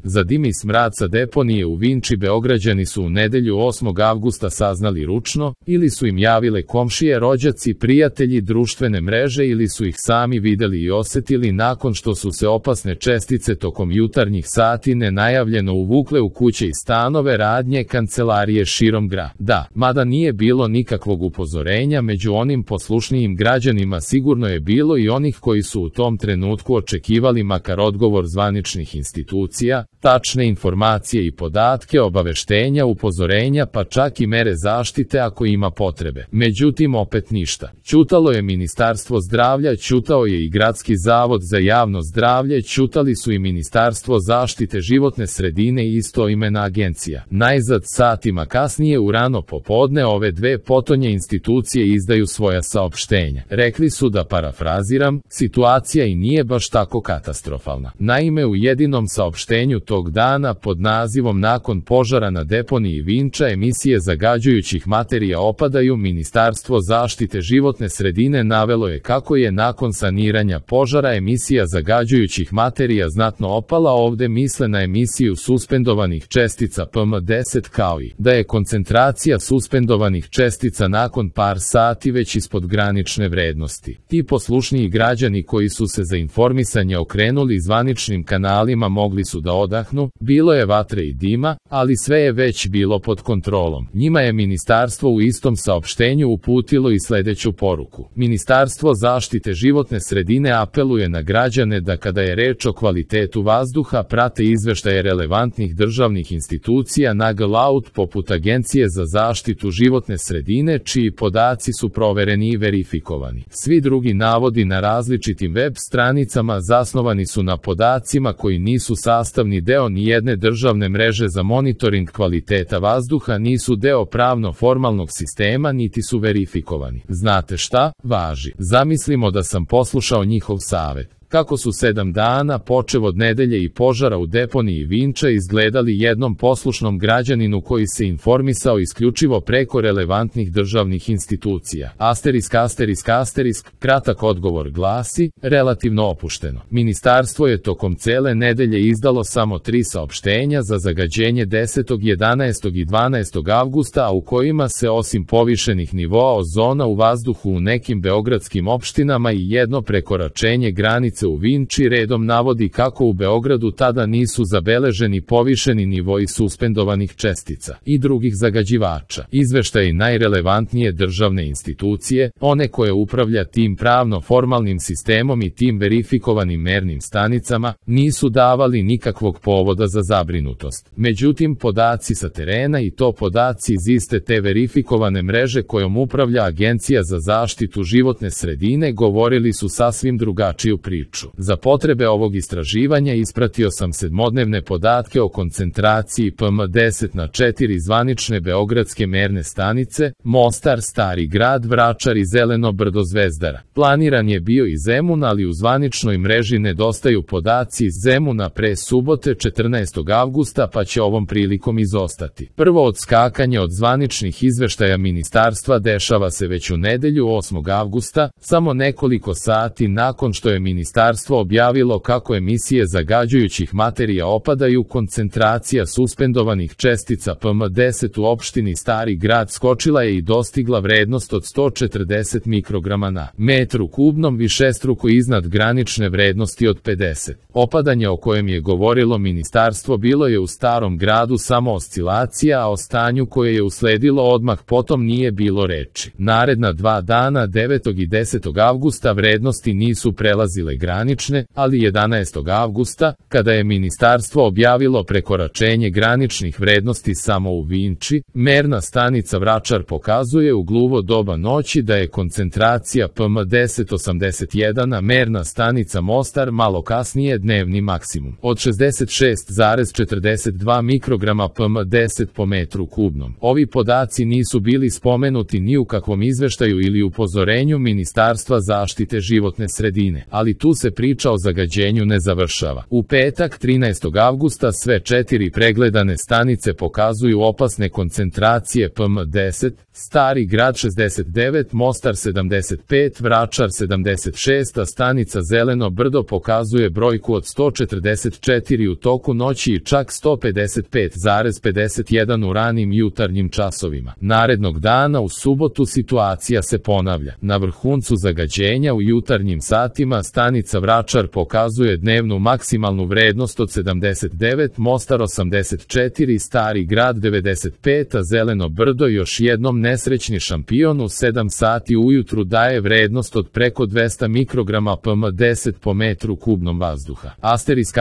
Za dim i smrad sa deponije u Vinči Beograđani su u nedelju 8. avgusta saznali ručno, ili su im javile komšije, rođaci, prijatelji, društvene mreže ili su ih sami videli i osetili nakon što su se opasne čestice tokom jutarnjih sati nenajavljeno uvukle u kuće i stanove, radnje, kancelarije širom grada. Mada nije bilo nikakvog upozorenja, među onim poslušnijim građanima sigurno je bilo i onih koji su u tom trenutku očekivali makar odgovor zvaničnih institucija, tačne informacije i podatke, obaveštenja, upozorenja, pa čak i mere zaštite ako ima potrebe. Međutim, opet ništa. Ćutalo je Ministarstvo zdravlja, ćutao je i Gradski zavod za javno zdravlje, ćutali su i Ministarstvo zaštite životne sredine i istoimena agencija. Najzad satima kasnije u rano popodne ove dve potonje institucije izdaju svoja saopštenja. Rekli su, da parafraziram, situacija i nije baš tako katastrofalna. Naime, u jedinom saopštenju tog dana pod nazivom "Nakon požara na deponiji Vinča emisije zagađujućih materija opadaju", Ministarstvo zaštite životne sredine navelo je kako je nakon saniranja požara emisija zagađujućih materija znatno opala. Ovde misle na emisiju suspendovanih čestica PM10, kao i da je koncentracija suspendovanih čestica nakon par sati već ispod granične vrednosti. Ti poslušniji građani koji su se za informisanje okrenuli zvaničnim kanalima mogli su da odahnu, bilo je vatre i dima, ali sve je već bilo pod kontrolom. Njima je ministarstvo u istom saopštenju uputilo i sledeću poruku. Ministarstvo zaštite životne sredine apeluje na građane da kada je reč o kvalitetu vazduha prate izveštaje relevantnih državnih institucija na GLAUD poput Agencije za zaštitu životne sredine, čiji podaci su provereni i verifikovani. Svi drugi navodi na različitim web stranicama zasnovani su na podacima koji nisu sastavni deo nijedne državne mreže za monitoring kvaliteta vazduha, nisu deo pravno-formalnog sistema, niti su verifikovani. Znate šta? Važi. Zamislimo da sam poslušao njihov savet. Kako su 7 dana, počev od nedelje i požara u deponiji Vinča, izgledali jednom poslušnom građaninu koji se informisao isključivo preko relevantnih državnih institucija. ****, kratak odgovor glasi, relativno opušteno. Ministarstvo je tokom cele nedelje izdalo samo 3 saopštenja za zagađenje 10., 11. i 12. avgusta, a u kojima se osim povišenih nivoa ozona u vazduhu u nekim beogradskim opštinama i jedno prekoračenje granice u Vinči redom navodi kako u Beogradu tada nisu zabeleženi povišeni nivoi suspendovanih čestica i drugih zagađivača. Izveštaji najrelevantnije državne institucije, one koje upravlja tim pravno-formalnim sistemom i tim verifikovanim mernim stanicama, nisu davali nikakvog povoda za zabrinutost. Međutim, podaci sa terena, i to podaci iz iste te verifikovane mreže kojom upravlja Agencija za zaštitu životne sredine, govorili su sasvim drugačiju priču. Za potrebe ovog istraživanja ispratio sam 7-dnevne podatke o koncentraciji PM10 na 4 zvanične beogradske merne stanice: Mostar, Stari grad, Vračar i Zeleno brdo Zvezdara. Planiran je bio i Zemun, ali u zvaničnoj mreži nedostaju podaci iz Zemuna pre subote 14. avgusta, pa će ovom prilikom izostati. Prvo odskakanje od zvaničnih izveštaja ministarstva dešava se već u nedelju 8. avgusta, samo nekoliko sati nakon što je ministarstvo objavilo kako emisije zagađujućih materija opadaju. Koncentracija suspendovanih čestica PM10 u opštini Stari grad skočila je i dostigla vrednost od 140 mikrograma na metru kubnom, višestruko iznad granične vrednosti od 50. Opadanje o kojem je govorilo ministarstvo bilo je u Starom gradu samo oscilacija, a o stanju koje je usledilo odmah potom nije bilo reči. Naredna 2 dana, 9. i 10. avgusta, vrednosti nisu prelazile granične, ali 11. avgusta, kada je ministarstvo objavilo prekoračenje graničnih vrednosti samo u Vinči, merna stanica Vračar pokazuje u gluvo doba noći da je koncentracija PM10 81, a merna stanica Mostar malo kasnije dnevni maksimum od 66,42 mikrograma PM10 po metru kubnom. Ovi podaci nisu bili spomenuti ni u kakvom izveštaju ili upozorenju Ministarstva zaštite životne sredine, ali tu se priča o zagađenju ne završava. U petak 13. avgusta sve 4 pregledane stanice pokazuju opasne koncentracije PM10, Stari Grad 69, Mostar 75, Vračar 76, a stanica Zeleno Brdo pokazuje brojku od 144 u toku noći i čak 155,51 u ranim jutarnjim časovima. Narednog dana u subotu situacija se ponavlja. Na vrhuncu zagađenja u jutarnjim satima stanica Vračar pokazuje dnevnu maksimalnu vrednost od 79, Mostar 84, Stari Grad 95, a Zeleno Brdo još jednom nesrećni šampion u 7 sati ujutru daje vrednost od preko 200 mikrograma PM10 po metru kubnom vazduha. Asterisk,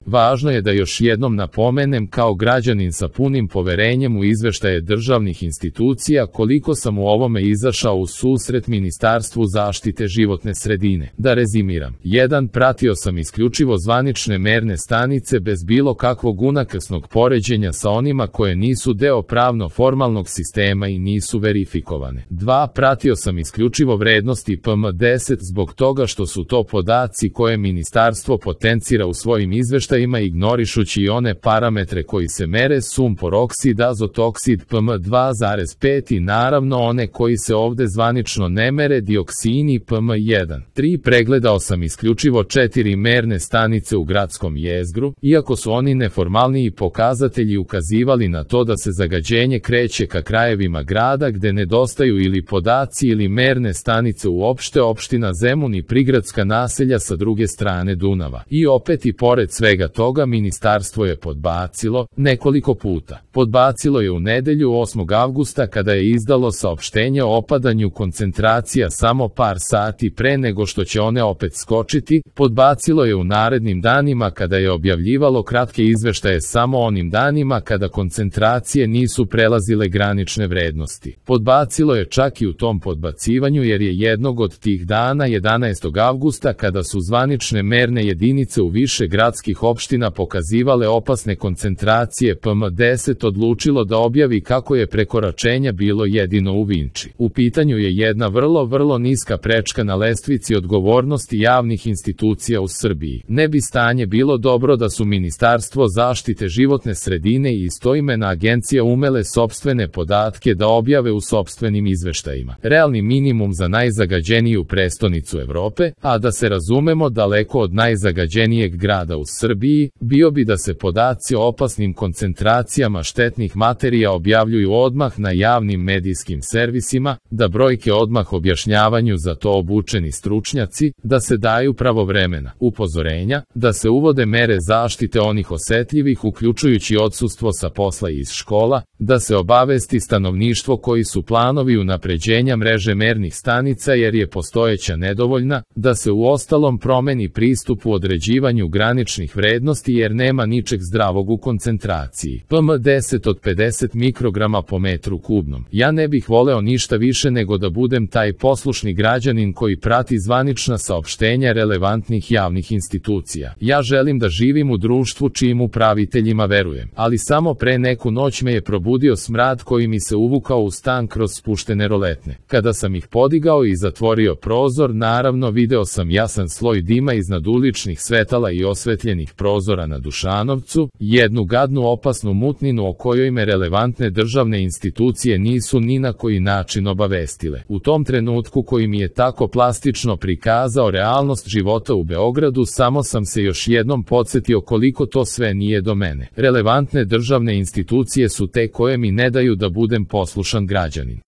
važno je da još jednom napomenem kao građanin sa punim poverenjem u izveštaje državnih institucija koliko sam u ovome izašao u susret Ministarstvu zaštite životne sredine. Da rezimiram. 1. Pratio sam isključivo zvanične merne stanice bez bilo kakvog unakrsnog poređenja sa onima koje nisu deo pravno-formalnog sistema i nisu verifikovane. 2. Pratio sam isključivo vrednosti PM10 zbog toga što su to podaci koje ministarstvo potencira u svojim izveštajima ignorišući i one parametre koji se mere sumpor oksid, azot oksid, PM2,5 i naravno one koji se ovde zvanično ne mere dioksini PM1. 3. Pregledao sam isključivo 4 merne stanice u gradskom jezgru, iako su oni neformalniji pokazatelji ukazivali na to da se zagađenje kreće ka krajevima grada gde nedostaju ili podaci ili merne stanice uopšte, opština Zemun i prigradska naselja sa druge strane Dunava. I opet i pored svega toga ministarstvo je podbacilo nekoliko puta. Podbacilo je u nedelju 8. avgusta kada je izdalo saopštenje o opadanju koncentracija samo par sati pre nego što će one opet skočiti, podbacilo je u narednim danima kada je objavljivalo kratke izveštaje samo onim danima kada koncentracije nisu prelazile granične vrednosti. Podbacilo je čak i u tom podbacivanju jer je jednog od tih dana 11. avgusta kada su zvanične merne jedinice u više gradskih opština pokazivale opasne koncentracije PM10 odlučilo da objavi kako je prekoračenja bilo jedino u Vinči. U pitanju je jedna vrlo niska prečka na lestvici odgovornosti javnih institucija u Srbiji. Ne bi stanje bilo dobro da su Ministarstvo zaštite životne sredine i istoimena agencija umele sopstvene podatke da objave u sopstvenim izveštajima. Realni minimum za najzagađeniju prestonicu Evrope, a da se razumemo daleko od najzagađenijeg grada u Srbiji, bio bi da se podaci o opasnim koncentracijama štetnih materija objavljuju odmah na javnim medijskim servisima, da brojke odmah objašnjavanju za to obučeni stručnjaci, da se daju pravovremena upozorenja, da se uvode mere zaštite onih osetljivih uključujući odsustvo sa posla iz škola, da se obavesti stanovništvo koji su planovi unapređenja mreže mernih stanica jer je postojeća nedovoljna, da se uostalom promeni pristup u određivanju graničnih vrednosti jer nema ničeg zdravog u koncentraciji. PM10 od 50 mikrograma po metru kubnom. Ja ne bih voleo ništa više nego da budem taj poslušni građanin koji prati zvanična saopštenja relevantnih javnih institucija. Ja želim da živim u društvu čijim upraviteljima verujem, ali samo pre neku noć me je probudio smrad koji mi se uvukao u stan kroz spuštene roletne. Kada sam ih podigao i zatvorio prozor, naravno video sam jasan sloj dima iznad uličnih svetala i osvetljenih prozora na Dušanovcu, jednu gadnu opasnu mutninu o kojoj me relevantne državne institucije nisu ni na koji način obavestile. U tom trenutku koji mi je tako plastično prikazao realnost života u Beogradu, samo sam se još jednom podsjetio koliko to sve nije do mene. Relevantne državne institucije su te koje mi ne daju da budem poslušan građanin.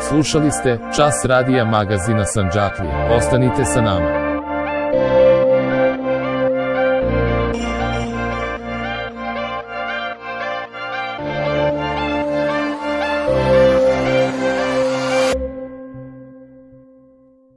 Slušali ste Čas radija magazina Sandžaklije. Ostanite sa nama.